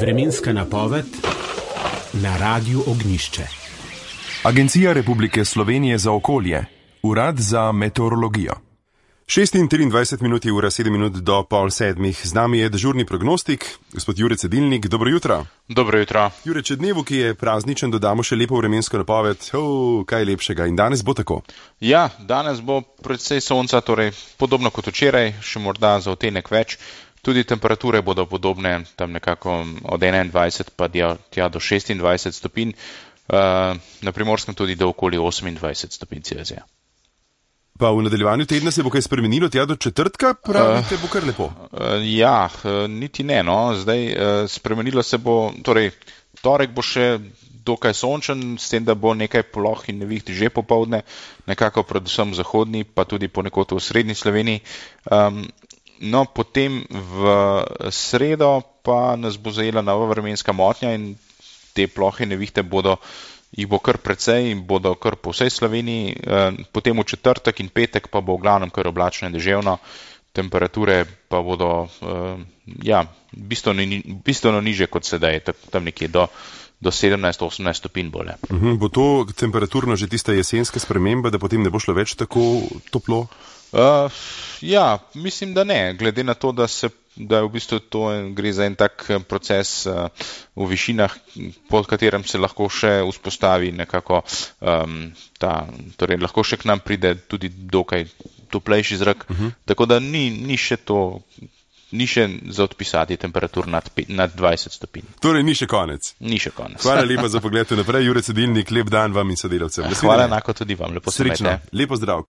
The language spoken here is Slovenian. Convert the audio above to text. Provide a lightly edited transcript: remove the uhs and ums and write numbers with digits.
Vremenska napoved na Radiu Ognjišče. Agencija Republike Slovenije za okolje, Urad za meteorologijo. 6:23 je ura, 7 minut do pol sedmih. Z nami je dežurni prognostik, gospod Jure Cedilnik. Dobro jutro. Dobro jutro. Jure, če dnevu, ki je prazničen, dodamo še lepo vremensko napoved, kaj lepšega. In danes bo tako? Ja, danes bo predvsej sonca, torej podobno kot včeraj, še morda za odtenek več. Tudi temperature bodo podobne, tam nekako od 21 pa tja do 26 stopinj, na Primorskem tudi do okoli 28 stopinj Celzija. Pa v nadaljevanju tedna se bo kaj spremenilo, tja do četrtka, pravite, bo kar lepo? Ja, niti ne, no. Zdaj spremenilo se bo, torej torek bo še dokaj sončen, s tem, da bo nekaj ploh in neviht že popoldne, nekako predvsem v zahodni, pa tudi ponekod v srednji Sloveniji. No, potem v sredo pa nas bo zajela nova vremenska motnja in te plohe nevihte jih bo kar precej in bodo kar po vsej Sloveniji. Potem v četrtek in petek pa bo v glavnem kar oblačno in deževno, temperature pa bodo bistveno niže kot sedaj, tam nekje do 17-18 stopinj bolje. Bo to temperaturno že tista jesenska sprememba, da potem ne bo šlo več tako toplo? Ja, mislim, da ne, glede na to, da v bistvu to gre za en tak proces v višinah, pod katerem se lahko še vzpostavi nekako torej lahko še k nam pride tudi dokaj toplejši zrak, tako da ni še za odpisati temperatur nad 20 stopinj. Torej ni še konec. Ni še konec. Hvala lepa za pogled naprej, Jure Cedilnik, lep dan vam in sodelavcem. Hvala enako tudi vam, lepo se imejte. Srečno, lepo zdrav.